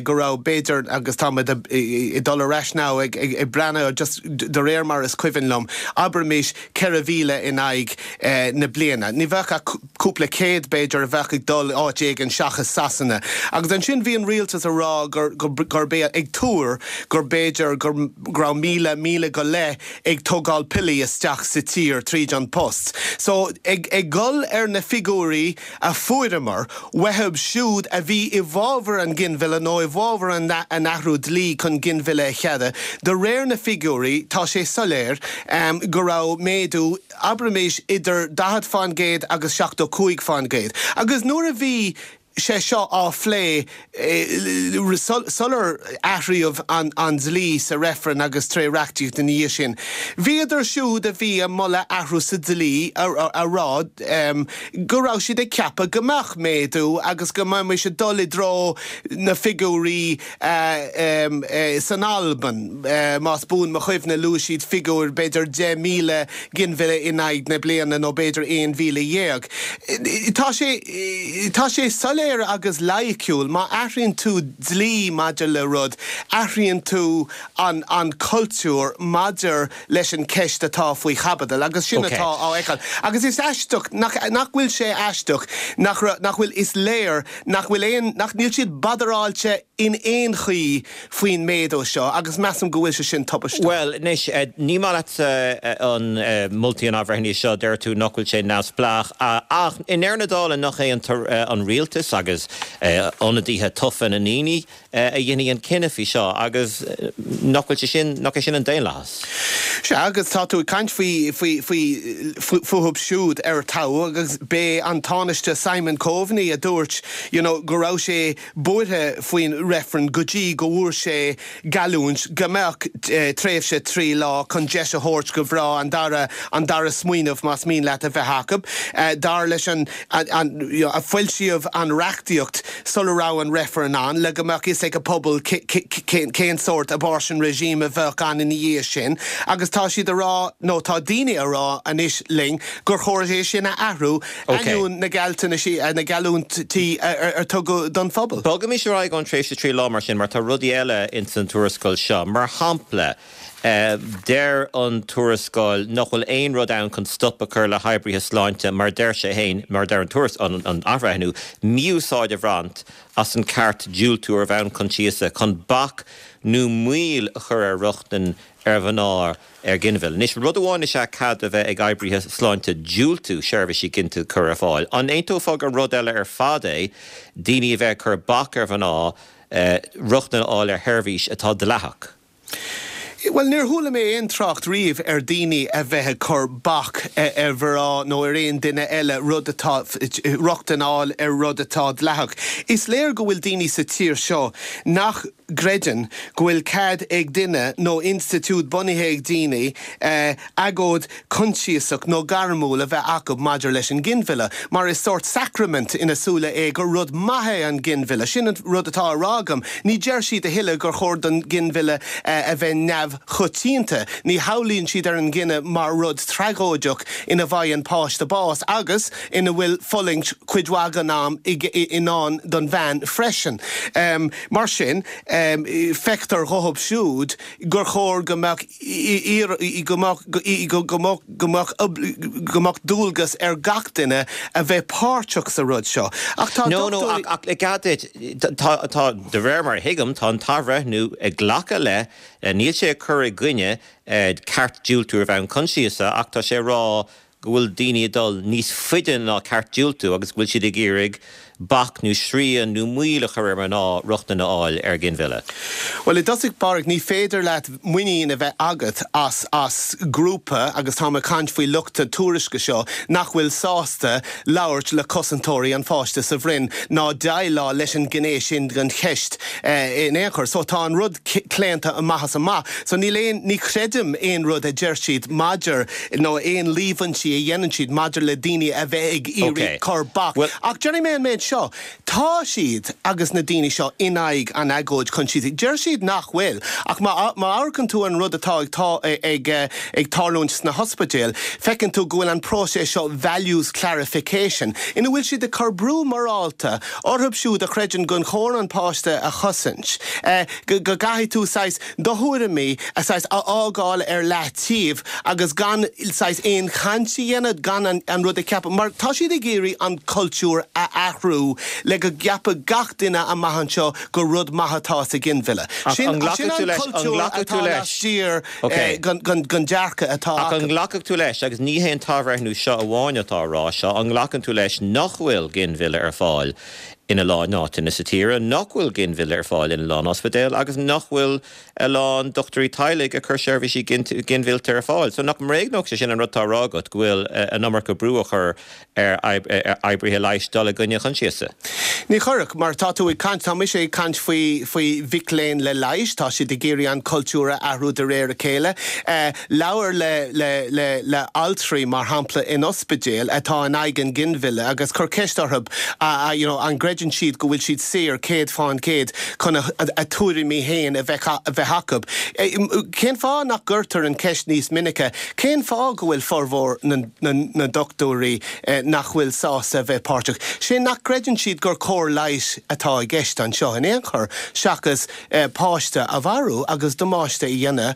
go raibh, b'fhéidir, agus táimid ag dul ar ais now ag breathnú just de réir mar is cuimhin liom, abraimis 4,000 in aghaidh na bliana. Ní bheadh ach cúpla céad, b'fhéidir, a bheadh ag dul áit éigin seachas Sasana. Agus ansin bhí an rialtas a rá gurb é, ag tuar gur b'fhéidir go raibh 1,000, 1,000 go leith ag tógáil piollaí isteach sa tír tríd an post. So, ag dul ar na figiúirí a fuaireamar uathu siúd a bhí i bhfabhar an ghinmhilleadh nó i bhfabhar an athrú dlí chun ginmhilleadh a cheadú, de réir na figiúirí tá sé soiléir go raibh méadú, abraimis, idir 40% agus 75%. Agus nuair a bhí. sé seo á phlé sular athraíodh an dlí sa reifreann agus tré reachtaíocht ina dhiaidh sin. Bhíodar siúd a bhí ag moladh athrú sa dlí a rá go raibh siad ag ceapadh go mbeadh méadú agus go mbeimis ag dul i dtreo na figiúirí san Albain. Más buan mo chuimhne luaigh siad figiúir b'fhéidir 10,000 ginmhilleadh in aghaidh na bliana nó b'fhéidir 11,000. Tá sé, tá sé soiléir agus loighciúil, má athraíonn tú dlí maidir le rud, athraíonn tú an, an cultúr maidir leis an ceist atá faoi chaibidil agus sin atá á fheiceáil. Agus is aisteach, nach, nach bhfuil sé aisteach nach raibh, nach bhfuil, is léir nach bhfuil aon, nach, níl siad badaráilte in aon chaoi faoin méadú seo agus measaim go bhfuil sé sin tubaisteach. Bhuel, anois, ní maith leatsa an moltaí an athbhreithnithe seo, deir tú nach bhfuil sé neamhspleách, ach i ndeireadh na dála nach é an rialtas agus ionadaithe tofa na ndaoine a dhéanfaidh an cinneadh faoi seo agus nach bhfuil sé sin, nach é sin an daonlathas? Sea, agus tá tú ag caint faoi, faoi, faoi, fúthub siúd ar toghadh agus b'é an Tánaiste Simon Coveney a dúirt, you know, go raibh sé buartha faoin reifreann go dtí go bhfuair sé geallúint go mbeadh tréimhse 3 lá chun deis a thabhairt go mhná an dara an dara smaoineamh más mian leat a bheith acu. Dar leis an a foilsíodh an reachtaíocht sula raibh an reifreann ann le go mbeadh fhios ag an pobal cén sórt abortion regime a bheadh ann ina dhiaidh sin agus tá siad a rá nó tá daoine a rá anois linn gur chóir é sin a athrú ainneoin na gealltanaisí, na geallúintí ar tugadh don phobal. Bogaimis ar aghaidh ón tréimhse 3 lá mar sin, mar tá rudaí eile ins an tuarascáil seo. Mar shampla, deir an tuarascáil nach bhfuil aon rud ann chun stop a chur le hoibrithe sláinte, mar deir sé féin, mar deir an tuarascáil, an athbhreithniú, mí-úsáid a bhaint as an ceart diúltú ar bhonn coinsiasa chun bac nó moill a chur ar rochtain ar mhná ar ghinmhilleadh. Anois, rud amháin is ea cead a bheith ag oibrithe sláinte diúltú seirbhísí ginte a chur ar fáil. An aontófá gur rud eile ar fad é daoine a bheith ag cur bac ar mhná rochtain a fháil ar sheirbhís atá dleathach? Bhuel, níor chuala mé aon trácht riamh ar daoine a bheith ag cur bac ar mhná nó ar aon duine eile rud atá, rochtain a fháil ar rud atá dleathach. Is léir go bhfuil daoine sa tír seo nach. gcreideann go bhfuil cead ag duine nó institiúid bunaithe ag daoine agóid choinsiasach nó gairmiúil a bheith acu maidir leis an nginmhilleadh, mar is sórt sacraimint ina súile é gur rud maith é an ginmhilleadh. Sin an rud atá á rá agam. Ní deir siad a thuilleadh gur chóir don ghinmhilleadh a bheith neamhchoitianta. Ní shamhlaíonn siad ar an gcinneadh mar rud tragóideach ina bhfaigheann páiste bás agus ina bhfuil fulaingt cuid mhaith den am i ndán don bhean freisin. Mar sin, feictear dhóibh siúd gur chóir go mbeadh go mbeadh go mbeadh go mbeadh go mbeadh dualgas ar gach duine a bheith páirteach sa rud seo. Ach tá No, no, ach, ach le cead duit, tá, tá, de réir mar a thuigim, tá an t-athbhreithniú ag glacadh le, níl sé ag cur i gcoinne ceart diúltú ar bhonn coinsiasa ach tá sé ag rá go bhfuil daoine ag dul níos faide ná ceart diúltú agus go bhfuil siad ag iarraidh bac nó srian nó moill a chur ar mhná rochtain a fháil ar ghinmhilleadh. Bhuel, i dtosach báire, ní féidir leat muinín a bheith agat as as grúpa, agus táim ag caint faoi lucht na tuairisce seo, nach bhfuil sásta labhairt le cosantóirí an pháiste sa bhroinn ná déileáil leis an ghné sin den cheist in aon chor. So tá an rud claonta amach is amach. So níl aon, ní chreidim aon rud a deir siad maidir, nó aon líomhaintí a dhéanann siad maidir le daoine a bheith ag iarraidh cur bac. Ach déarfaidh mé an méid seo, tá siad, agus na daoine seo, in aghaidh an agóid choinsiasach. Deir siad nach bhfuil, ach má amharcann tú ar an rud atá ag ag tarlúint sna hospidéil, feiceann tú go bhfuil an próiseas seo values clarification, ina bhfuil siad ag cur brú morálta orthu siúd a chreideann gur chóir an páiste a chosaint, go gcaithfidh tú saghas do thuairimí a saghas a fhágáil ar leataobh agus gan saghas aon chaint a dhéanamh, gan an rud a cheapadh, mar tá siad ag iarraidh an cultúr a athrú le go gceapfadh gach duine amach anseo gur rud maith atá sa ghinmhilleadh. Sin an cultúr atá laistiar den dearcadh atá acu. Ach an nglacfadh tú leis, agus ní hé an t-athbhreithniú seo amháin atá á rá seo, an nglacann tú leis nach bhfuil ginmhilleadh ar fáil? In a lán áiteanna sa tír nach bhfuil ginmhilleadh ar fáil in a lán ospidéal agus nach bhfuil a lán dochtúirí teaghlaigh ag cur seirbhísí ginmhillte ar fáil. So nach mbréagnódh sé sin an rud atá á rá agat, go bhfuil an iomarca brú á chur ar oibrithe leighis dul i gcoinne a choinsiasa? Ní chuirfeadh, mar tá tú ag caint, tá mise ag caint faoi faoi mhic léinn le leighis, tá siad ag iarraidh an cultúr a athrú de réir a chéile. Labhair le le le le altraí, mar shampla, in ospidéal atá in aghaidh an ghinmhilleadh agus cuir ceist orthu you know an gcreideann siad go bhfuil siad saor 100% chun a tuairimí féin a bheith a bheith acu. Cén fáth nach gcuirtear an cheist níos minice, cén fáth go bhfuil formhór na na ndochtúirí nach bhfuil sásta a bheith páirteach? Sé nach gcreideann siad gur cóir leighis atá i gceist anseo in aon chor seachas páiste a mharú agus damáiste a dhéanamh,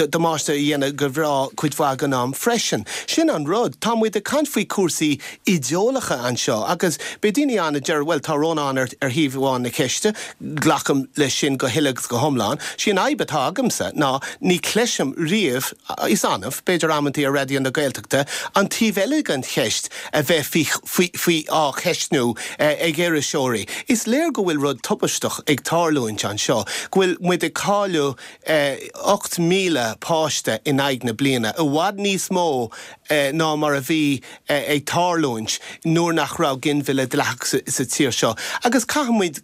damáiste a dhéanamh do mhná cuid mhaith den am freisin. Sin an rud. Tá muid ag caint faoi chúrsaí idéalacha anseo agus beidh daoine ann a deir bhuel tá Rónán ar thaobh amháin na ceiste, glacaim leis sin go huile agus go hiomlán. Sí an fhadhb atá agamsa ná ní chloisim riamh, is annamh, b'fhéidir amantaí ar Raidió na Gaeltachta, an taobh eile den cheist a bheith faoi, faoi, á cheistniú ag iriseoirí. Is léir go bhfuil rud tubaisteach ag tarlúint anseo, go bhfuil muid ag cailleadh 8,000 páiste in aghaidh na bliana, i bhfad níos mó ná mar a bhí ag tarlúint nuair nach raibh ginmhilleadh dleathach sa tír seo. Agus caithfidh muid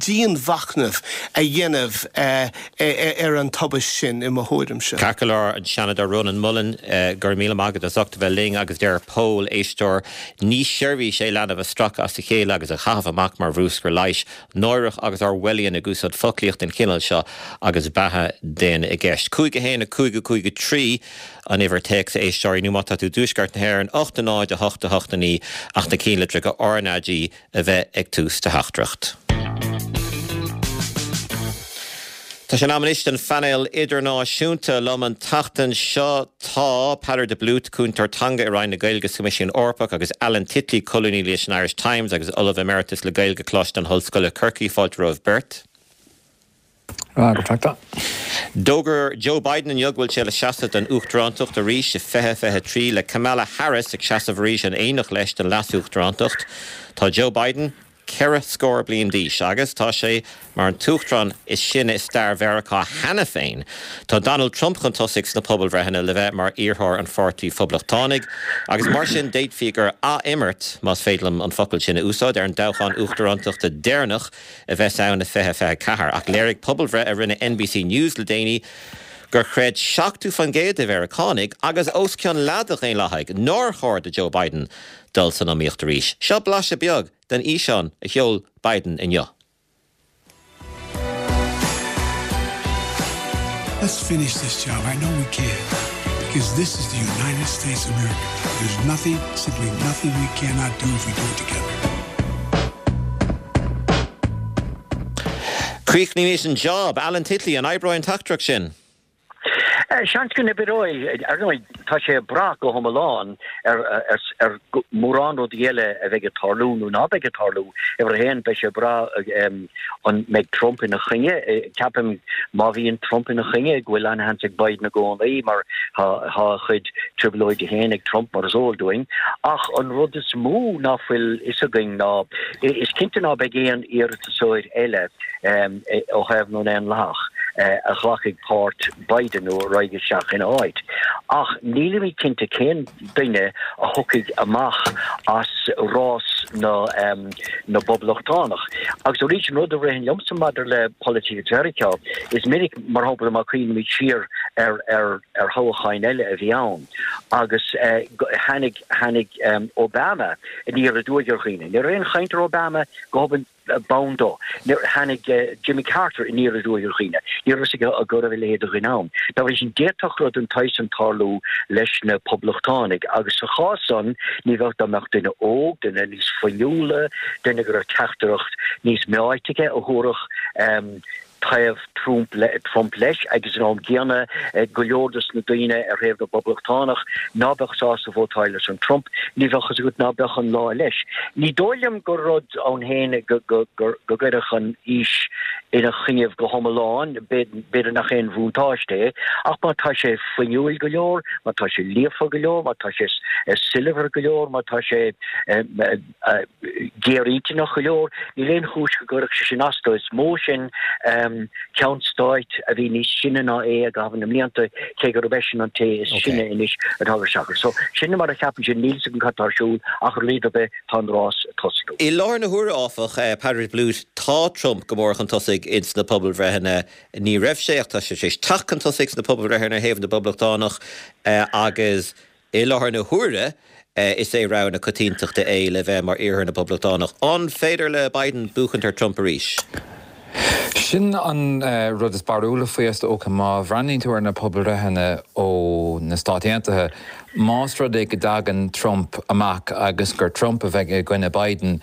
dianmhachnamh a dhéanamh ar an tubaist sin, i mo thuairimse. Ceart go leor, an Seanadóir Rónán Mullen, go raibh míle maith agat as ucht a bheith linn agus deir Pól, éisteoir, ní seirbhís é leanbh a stracadh as a chéile agus a chaitheamh amach mar bhrúscar leighis. Náireach agus Orwellian ag úsáid foclaíocht den chineál seo agus beatha daonna i gceist. 5 1 5 5 3 an uimhir téacs a éisteoirí nó má tá tú i dtuaisceart na hÉireann, 8 0 8 8 9 ach na cinnlitreacha RnaG a bheith ag tús do theachtaireacht. Tá sé in am anois don phainéal idirnáisiúnta. Liom an tseachtain seo tá Peadar de Blúit, Cúntóir Teanga i Roinn na Gaeilge sa Choimisiún Eorpach agus Alan Titley, colúnaí leis an Irish Times agus Ollamh Emeritus le Gaeilge Coláiste na hOllscoile Corcaigh. Fáilte romhaibh beirt. D'fhógair Joe Biden inniu go bhfuil sé le seasamh don uachtarántacht arís i 2023, le Kamala Harris ag seasamh arís in éineacht leis don leas-uachtarántacht. Tá Joe Biden ceithre scór bliain d'aois agus tá sé mar an t-uachtarán is sine i stair Mheiriceá cheana féin. Tá Donald Trump chun tosaigh sna pobalbhreitheanna le bheith mar iarrthóir an Pháirtí Phoblachtánaigh agus mar sin d'fhéadfaí gur ath-imirt, más féidir liom an focal sin a úsáid, ar an dtoghchán uachtarántachta deireanach a bheas ann i 2024. Ach léirigh pobalbhreith a rinne NBC News le déanaí gur chreid 70% de Mheiriceánaigh, agus os cionn leath de Dhaonlathaigh, nár chóir do Joe Biden dul san iomaíocht arís. Seo blaiseadh beag den fhíseán a sheol Biden inniu. Let's finish this job. I know we can. Because this is the United States of America. There's nothing, simply nothing we cannot do if we do it together. Críochnaímis an job. Alan Titley, an oibreoidh an teachtaireacht sin? Seans go n-oibreoidh. Ar ndóigh, tá sé ag brath go hiomlán ar mhórán rudaí eile a bheidh ag tarlú nó ná beidh ag tarlú. Uimhir a haon, beidh sé ag brath an mbeidh Trump ina choinne. Ceapaim má bhíonn Trump ina choinne go bhfuil an-sheans ag Biden i gcónaí mar tá a chuid trioblóidí féin ag Trump mar is eol dúinn. Ach an rud is mó ná fuil fhios againn ná is cinnte ná beidh aon iarratasóir eile ó thaobh na nDaonlathach a ghlacfaidh páirt Biden nó a raghaidh isteach ina áit. Ach nílimid cinnte cén duine a thiocfaidh amach as rás na na bPoblachtánach. Agus arís, an rud a ritheann liomsa maidir le polaitíocht Mheiriceá, is minic, mar shampla, má chuimhnímid siar ar ar ar thoghcháin eile a bhí ann agus tháinig tháinig Obama aniar aduaidh ar dhaoine. Ní raibh aon chaint ar Obama go hobann b'ann dó. Tháinig Jimmy Carter aniar aduaidh ar dhaoine. Ní raibh fhios acu go raibh a leithéid de dhuine ann. Dá bhrí sin, d'fhéadfadh rud den tsaghas san tarlú leis na Poblachtánaigh agus sa chás san, ní bheadh dá mbeadh duine óg, duine níos fuinniúla, duine go raibh teachtaireacht níos meáite aige a thabharfadh. Taobh Trump leis agus san am gcéanna go leor dos na daoine ar thaobh na bPoblachtánach ná beadh sásta vótáil ar son Trump, ní bheadh fhios agat ná beadh an lá leis. Ní dóigh liom gur rud ann féin go gcuirfeadh an aois ina choinnibh go hiomlán, b'fhéidir nach aon bhuntáiste é, ach má tá sé fuinniúil go leor, má tá sé líofa go leor, má tá sé soilbhir go leor, má tá sé. géarintinneach go leor. Níl aon chúis go gcuirfeadh sé sin as dó. Is mó sin ceann stáit a bhí níos sine ná é i gcaitheamh na mblianta, cé gurb eisean an té is sine anois atá ag isteach air. So, sin mar a cheapaimse, níl fhios agam cad tá ar siúl ach ar a laghad ar bith tá an rás ag tosnú. I láthair na huaire, áfach, Peadar de Blút, tá Trump go mór chun tosaigh ins na pobalbhreitheanna. Ní raibh sé ach tá sé tar éis teacht chun tosaigh sna pobalbhreitheanna ar thaobh na bPoblachtánach agus I láthair na huaire, is é rogha na coitiantachta é le bheith mar iarrthóir na bPoblachtánach. An féidir le Biden buachaint ar Trump arís? Sin an rud is barúla faoi, is dócha. Má bhreathnaíonn tú ar na pobalbhreitheanna ó na Stáit Aontaithe, más rud é go dtagann Trump amach agus gur Trump a bheidh i gcoinne Biden,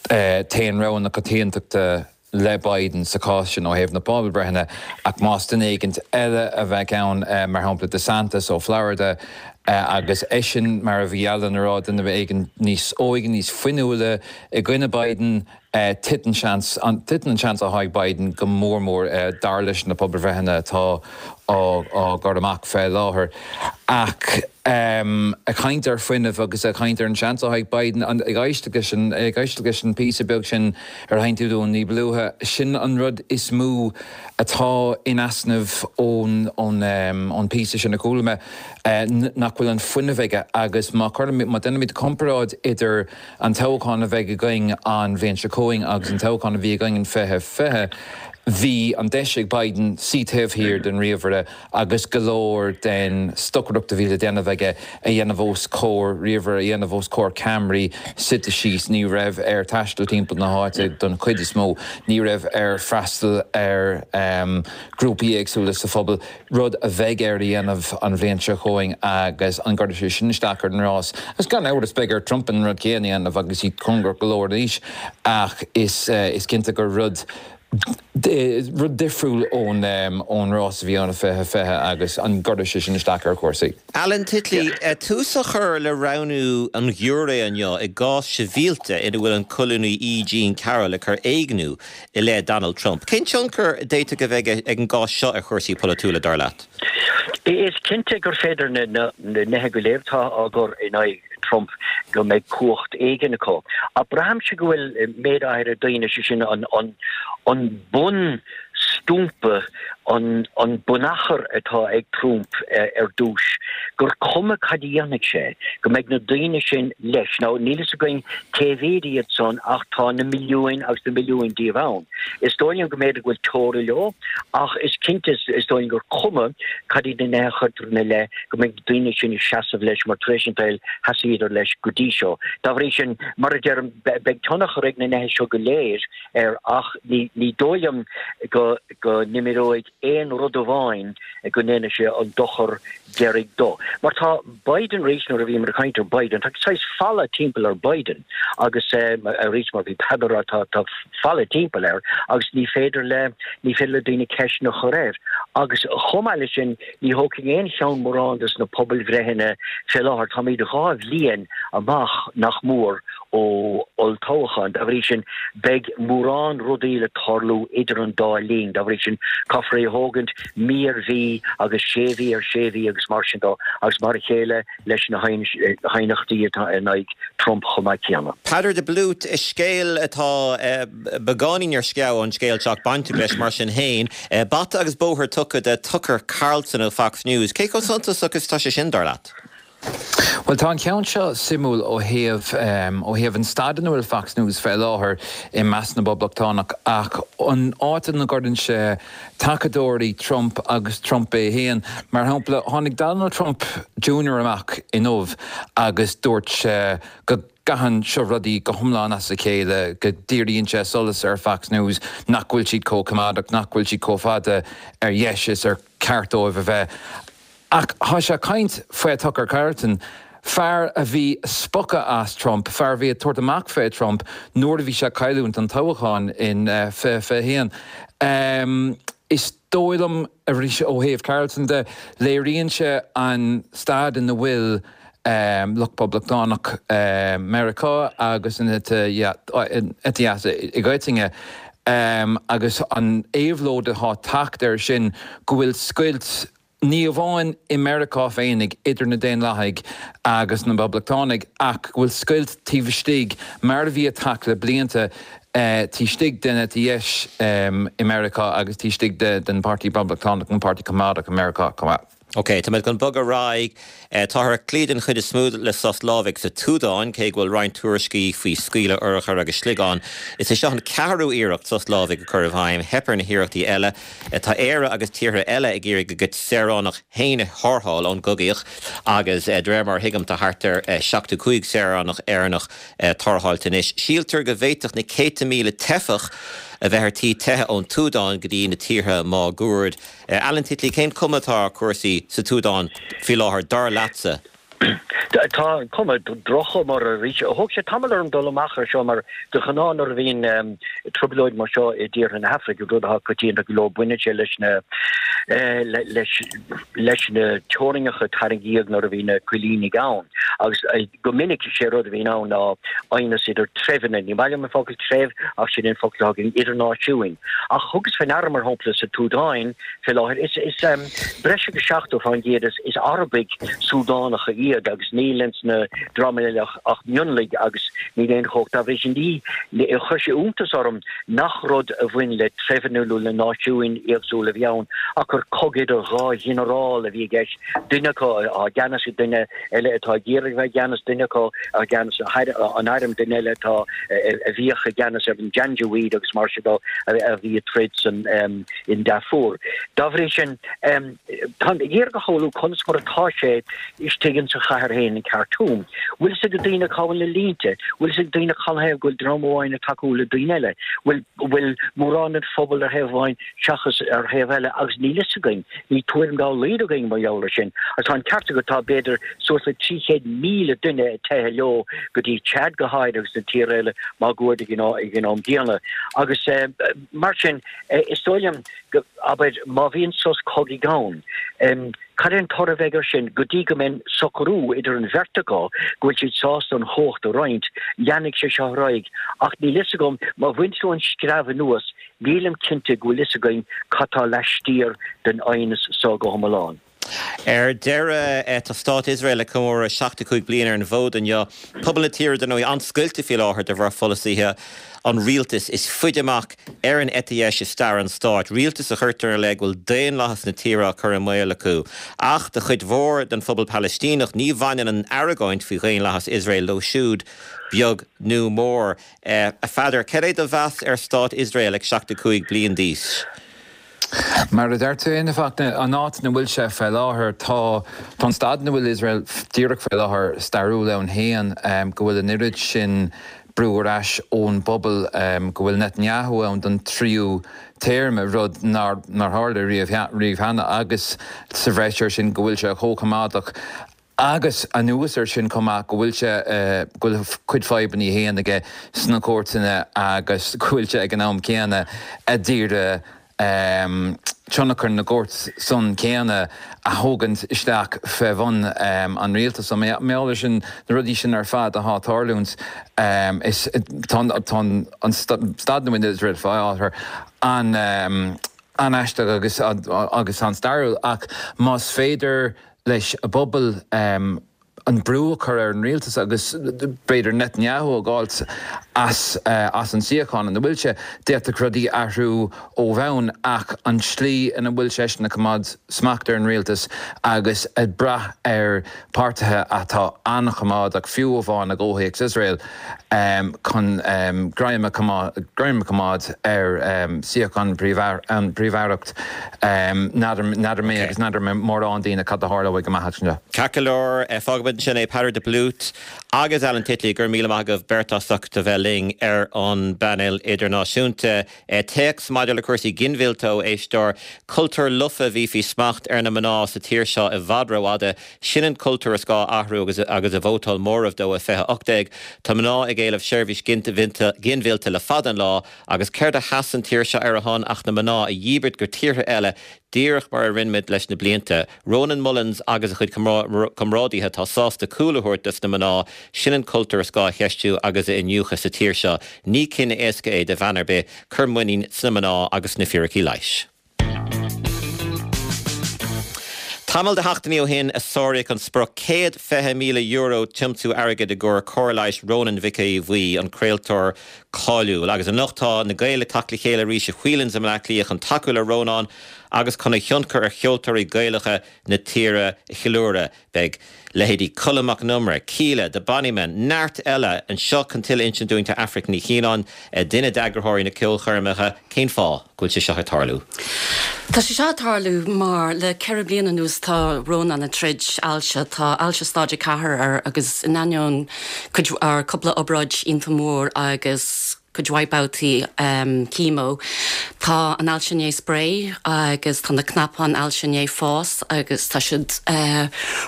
téann rogha na coitiantachta le Biden sa chás sin ó thaobh na pobalbhreitheanna ach más duine éigint eile a bheadh ann, mar shampla DeSantis ó Florida, agus eisean, mar a bhí Alan a rá, duine éigin níos óige, níos fuinniúla i gcoinne Biden, titeann seans, titeann an seans atá ag Biden go mór mór, dar leis na pobalbhreitheanna atá á gcur amach fé láthair. Ach ag caint ar fuinneamh agus ag caint ar an seans atá ag Biden, ag éisteacht leis an, ag éisteacht leis an píosa beag sin ar sheinn tú dúinn ní ba luaithe, sin an rud is mó atá in easnamh ón, ón, ón píosa sin a chuala mé, nach bhfuil an fuinneamh aige agus má chuirimid, má déanaimid comparáid idir an toghchán a bheidh againn an bhliain seo chugainn agus an toghchán a bhí againn in 2020, bhí an deis ag Biden suí taobh thiar den ríomhaire agus go leor den stocaireacht a bhí le déanamh aige a dhéanamh os comhair ríomhaire, a dhéanamh os comhair ceamaraí, suite síos. Ní raibh air taisteal timpeall na háite don chuid is mó, ní raibh air freastal ar ghrúpaí éagsúla sa phobal. rud a bheidh air a dhéanamh an bhliain seo chugainn agus an gcuirfidh sé sin isteach ar an rás? Agus gan amhras beidh ar Trump an rud céanna a dhéanamh agus iad cóngarach go leor in aois ach is cinnte gur rud rud difriúil ón rás a bhí ann i 2020 agus an gcuirfidh sé sin isteach ar chúrsaí? Alan Titley, tús á chur le roghnú an ghiúiré inniu i gcás sibhialta ina bhfuil an colúnaí E. Jean Carroll ag cur éigniú i leith Donald Trump. Cén tionchar a d'fhéadfadh a bheith ag an gcás seo ar chúrsaí polaitiúla, dar leat? Is cinnte gur féidir na nithe go léir atá á gcur in aghaidh Trump go mbeidh cumhacht éigin acu. Ach braithimse go bhfuil méid áirithe daoine, sé sin an bunstumpa, an bunachar atá ag Trump ar dtús, gur cuma cad a dhéanfaidh sé, go mbeidh na daoine sin leis. Now, níl fhios againn cé mhéad iad san ach tá na milliúin agus na milliúin díobh ann. Is dóigh liom go mb'fhéidir go bhfuil teora leo ach is cinnte is dóigh liom gur cuma cad iad na nithe a chuirtear ina leith go mbeidh na daoine sin ag seasamh leis mar tar éis an tsaoil sheasaíodar leis go dtí seo. Dá bhrí sin, mar a deirim, beidh tionchar ag na nithe seo go léir air ach ní dóigh liom go go n-imreoidh aon rud amháin go ndéanfaidh sé an dochar deiridh dó. Mar tá Biden arís, nuair a bhíomar ag caint ar Biden, tá saghas falla timpeall ar Biden agus arís mar bhí Peadar a rá, tá tá falla timpeall air agus ní féidir le ní féidir le daoine ceisteanna a chur air. Agus chomh maith leis sin, ní thógfainn aon cheann mórán des na pobalbhreitheanna fé láthair. Táimid 2 bhliain amach nach mór ó olltoghchán. Dá bhrí sin, beidh mórán rudaí le tarlú idir an dá linn. Dá bhrí sin, caithfear é a thógaint mí ar mhí agus sé mhí ar sé mhí agus mar sin dó, agus mar a chéile leis na haighneachtaí atá in aghaidh Trump chomh maith céanna. Peadar de Blút, Scéal atá beagáinín ar sceabha an scéal seo ach bainteach leis mar sin féin. Bata agus bóthar tugtha do Tucker Carlson ó Fox News. Cé chomh suntasach is atá sé sin, dar leat? Bhuel, tá an ceann seo suimiúil ó thaobh, ó thaobh an staid ina bhfuil Fox News fé láthair i measc na bPoblachtánach ach an áit ina gcuireann sé tacadóirí Trump agus Trump é féin. Mar shampla, tháinig Donald Trump Junior amach inniu agus dúirt sé go gcaitheann seo rudaí go hiomlán as a chéile, go ndíríonn sé solas ar Fox News, nach bhfuil siad chomh coimeádach, nach bhfuil siad chomh fada ar dheis is ar ceart dóibh a bheith. Ach tá sé ag caint faoi Tucker Carlson. Fear a bhí ag spochadh as Trump, fear a bhí ag tabhairt amach fé Trump nuair a bhí sé ag cailliúint an toghchán in 2021. Is dóigh liom, arís ó thaobh Carlson de, léiríonn sé an staid ina bhfuil lucht poblachtánach Meiriceá agus an eite dheas i gcoitinne agus an éabhlóid atá ag teacht air sin go bhfuil scoilt ní amháin i Meiriceá féinig idir na Daonlathaigh agus na Poblachtánaigh ach go bhfuil scoilt taobh istigh, mar a bhí ag teacht le blianta, taobh istigh den eite dheis i Meiriceá agus taobh istigh den Pháirtí Poblachtánach, an Páirtí Coimeádach i Meiriceá chomh maith. Ok, tá muid chun bogadh ar aghaidh. Táthar ag cloí den chuid is mó le sos lámhaigh sa tSúdáin, cé go bhfuil roinnt tuairiscí faoi scaoileadh urchar agus sliogán. Is é seo an ceathrú iarracht sos lámhaigh a chur i bhfeidhm. Theip ar na hiarrachtaí eile. Tá Éire agus tíortha eile ag iarraidh a gcuid saoránach féin a tharrtháil ón gcogaíocht agus de réir mar a thuigim tá thart ar 75 saoránach Éireannach tarrtháilte anois. Síltear go bhféadfadh na céadta míle teifeach a bheith ar tí teitheadh ón tSúdáin go dtí na tíortha máguaird. Alan Titley, cén cuma atá ar chúrsaí sa tSúdáin faoi láthair, dar leatsa? Tá cuma, droch-chuma orthu arís. Thóg sé tamall orm dul amach ar seo mar de ghnáth nuair a bhíonn trioblóid mar seo i dtíortha na hAfraice, rud atá coitianta go leor, baineann sé leis na leis leis na teorainneacha a tarraingíodh nuair a bhí na coilínigh ann. Agus go minic is é rud a bhíonn ann ná aighneas idir treibheanna, ní maith liom an focal treibh ach sin an focal atá againn, idir náisiúin. Ach thugas faoi ndeara mar shampla sa tSúdáin fé láthair, is is breis agus 70% is is Arabaigh Súdánacha iad agus níl ins na dreamanna eile ach ach mionlaigh agus níl aon chumhacht dá bhrí sin. Ní chuir sé iontas orm nach rud a bhain le treibheanna nó le náisiúin éagsúla a bhí ann ach gur cogadh idir dhá ghinearál a bhí i gceist, duine acu i gceannas, duine eile atá ag iarraidh a bheith i gceannas, duine acu i gceannas an airm, duine eile atá a bhíodh i gceannas ar an Janjaweed agus mar sin de a bhí ag troid san in Darfur. Dá bhrí sin, táim ag iarraidh a shamhlú conas mar atá sé istigh insa chathair féin in Khartoum. Bhfuil fhios ag daoine cá bhfuil na línte? Bhfuil fhios ag daoine canathaobh go bhfuil dream amháin ag tacú le daoine eile? Bhfuil bhfuil mórán den phobal ar thaobh amháin seachas ar thaobh eile agus níl fhios againn, níl tuairim dá laghad againn mar gheall ar sin. Agus tá an ceart agat, tá b'fhéidir suas le 300,000 duine ag teitheadh leo go dtí Chad go háirithe agus na tíortha eile máguaird ag an am gcéanna. Agus mar sin, is dóigh liom, go, abair, má bhíonn sos cogaidh ann, cad é an toradh a bheidh air sin? Go dtí go mbeidh socrú idir an bheirt acu go bhfuil siad sásta an chumhacht a roinnt, leanfaidh sé seo ar aghaidh. Ach níl fhios agam, má bhain tú an screamh anuas, nílim cinnte go bhfuil fhios againn cad tá laistiar den aighneas so go hiomlán. Ar deireadh, tá Stát Iosrael ag comóradh 75 bliain ar an bhfód inniu. Pobal na tíre, dar ndóigh, an-scoilte faoi láthair de bharr pholasaithe an rialtais is faide amach ar an eite dheis i stair an stáit, rialtas a chuirtear ina leith go bhfuil daonlathas na tíre á chur i mbaol acu. Ach do chuid mhór den phobal Palaistíneach, ní bhaineann an argóint faoi dhaonlathas Iosrael leo siúd, beag nó mór. A Pheadair, cad é do mheas ar Stát Iosrael ag 75 bliain d'aois? Mar a deir tú féin, a Fhachtna, an áit ina bhfuil sé fé láthair, tá tá an staid ina bhfuil Iosrael díreach fé láthair stairiúil ann féin, go bhfuil an oiread sin brú ar ais ón bpobal, go bhfuil Netanyahu ann don tríú téarma, rud nár nár tharla riamh riamh cheana, agus sa bhreis air sin go bhfuil sé chomh coimeádach Agus anuas air sin chomh maith, go bhfuil sé, go bhfuil a chuid fadhbanna féin aige sna cúirteanna agus go bhfuil sé ag an am céanna a d'iarraidh tionchar na gcúirt san céanna a thógaint isteach fé bhun an rialtais. So mar gheall ar sin, na rudaí sin ar fad atá ag tarlúint, is tá an staid ina bhfuil Iosrael fé láthair an an-aisteach agus agus an-stairiúil ach más féidir leis an bpobal an brú a chur ar an rialtas agus b'fhéidir Netanyahu a dh'fháilt as as an suíochán ina bhfuil sé. D'fhéadfadh rudaí athrú ó bhonn ach an tslí ina bhfuil seisean ag coimeád smacht ar an rialtas agus ag brath ar páirtithe atá an-choimeádach, fiú amháin i gcomhthéacs Iosrael, chun greim a choimeád ar suíochán an phríomh-aireacht. N'fheadar mé agus n'fheadar mórán daoine cad a tharlóidh amach anseo. Ceart go leor, fágfaimid. Fágfaimid ansin é, Peadar de Blút agus Alan Titley, go raibh míle maith agaibh beirt as ucht a bheith linn ar an bpainéal idirnáisiúnta. Téacs maidir le cúrsaí ginmhillte ó éisteoir, Cultúr lofa a bhí faoi smacht ar na mná sa tír seo i bhfad rófhada. Sin an cultúr is gá a athrú agus agus a vótáil móramh dó i 2018. Tá mná ag éileamh seirbhís ginmhillte le fada an lá agus céard a sheas an tír seo ar a shon ach na mná a dhíbirt go tíortha eile díreach mar a rinne muid leis na blianta. Rónán Mullins agus a chuid comrádaithe atá sásta cúl a thabhairt dos na mná, sin an cultúr is gá a cheistiú agus a iniúchadh sa tír seo. Ní cinneadh éasca é do bhean ar bith cur muinín sna mná agus sna fíricí leighis. Tamall de sheachtainí ó shin a sáraíodh an sprioc €120,000 tiomsú airgid i gcomhair cóir leighis Rónán Mhic Aodha Bhuí, an craoltóir cáiliúil. Agus anocht tá na Gaeil ag teacht le chéile arís i Whelan's i mBleá Cliath chun tacú le Rónán agus chun a thionchar ar cheoltóirí Gaelacha na tíre a cheiliúradh. Beidh leithéidí Colm Mac Con Iomaire, Kíla, The Bonnymen, neart eile anseo chun tuilleadh a insint dúinn tá Aifric Ní Chianáin, duine d'eagraitheoirí na ceolchoirmeacha. Cén fáth go bhfuil sé seo ag tarlú? Tá sé seo ag tarlú mar le 4 bliana anuas tá Rónán ag troid ailse. Tá ailse stáid 4 air agus in ainneoin cuid, or cúpla obráid iontach mór agus cuid mhaith babhtaí chemo, tá an ailse i ndiaidh spré agus tá na cnapáin ailse i ndiaidh fás agus tá siad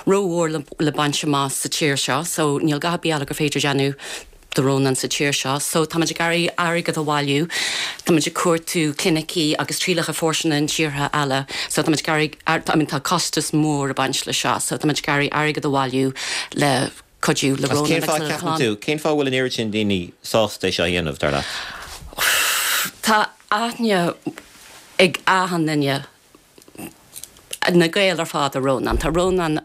rómhór le baint amach sa tír seo so níl a dhath ar bith eile gur féidir déanamh do Rónán sa tír seo. So táimid ag iarraidh airgead a bhailiú, táimid ag cuartú clinicí agus trialacha fóirsteana in tíortha eile so táimid ag iarraidh, I mean tá costas mór ag baint le seo so táimid ag iarraidh airgead a bhailiú le cuidiú le Agus cén Rónán fáth agus lena ceapann tú, cén fáth a bhfuil an oiread sin daoine sásta é seo a dhéanamh, dar leat? Tá aithne ag achan duine, na Gaeil ar fad ar Rónán. Tá Rónán,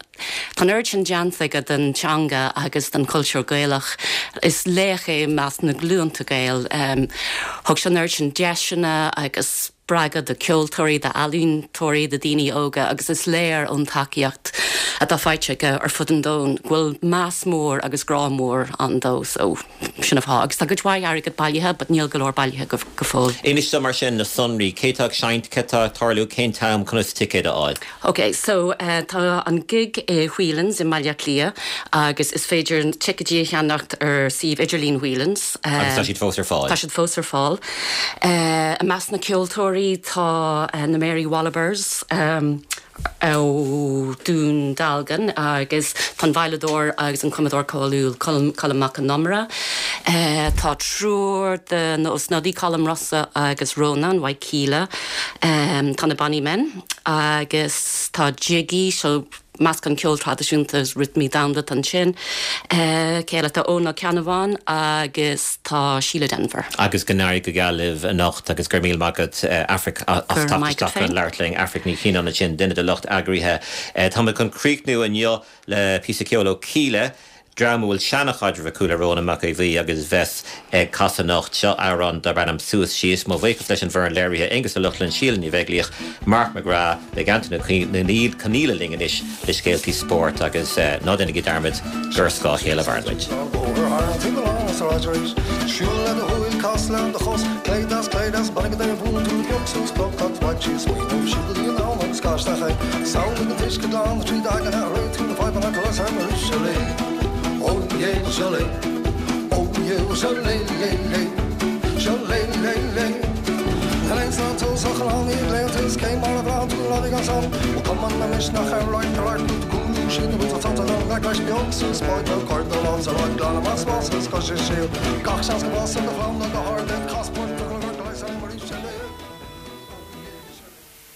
tá an oiread sin déanta aige don teanga agus don chultúr Gaelach. Is laoch é i measc na glúnta Gael. Thug sé an oiread sin deiseanna agus spreagadh do cheoltóirí, d'ealaíontóirí, do daoine óga agus is léir ón tacaíocht atá faighte aige ar fud an domhain go bhfuil meas mór agus grá mór ann dó so sin an fáth. Agus tá cuid mhaith airgead bailithe but níl go leor bailithe go fóill. Inis dom mar sin na sonraí, cé tá ag seinnt, céard tá ag tarlú, cén t-am, conas ticéid a fháil? Ok so tá an gig i Whelan's i mBaile Átha Cliath agus is féidir ticéidí a cheannacht ar suíomh idirlín Whelan's. Agus tá siad fós ar fáil? Tá siad fós ar fáil. I measc na ceoltóirí tá na Mary Wallopers ó Dún Dealgan agus tá an veidhleadóir agus an cumadóir cáiliúil Colm Mac Con Iomaire. Tá triúr de na Ó Snodaigh, Colm, Rossa agus Rónán, uaidh Kíla. Tá na Bonnymen agus tá Jiggy, so meascán ceol traidisiúnta agus rithimí domhanda atá ansin. Cé eile? Tá Eoin Ó Ceannabháin agus tá Síle Denvir. Agus go n-éirí go geal libh anocht agus go raibh míle maith agat Aifric as teacht isteach chun labhairt linn. Aifric Ní Chianáin ansin, duine de lucht eagraithe. Tá muid chun críochnú inniu le píosa ceoil ó Kíla. Dream a bhfuil seana-chaidreamh acu le Rónán Mac Aodha Bhuí agus bheas ag casadh anocht. Seo amhrán darb ainm Suas Síos. Mo bhuíochas leis an bhfoireann léirithe, Aonghus Ó Lochlainn, Síle Ní Bheaglaoich, Mark McGrath. Beidh Antain Ó Conghaile linn anois le scéaltaí spóirt agus ná déanaigí dearmad gur ar scáth a chéile a mhaireann muid.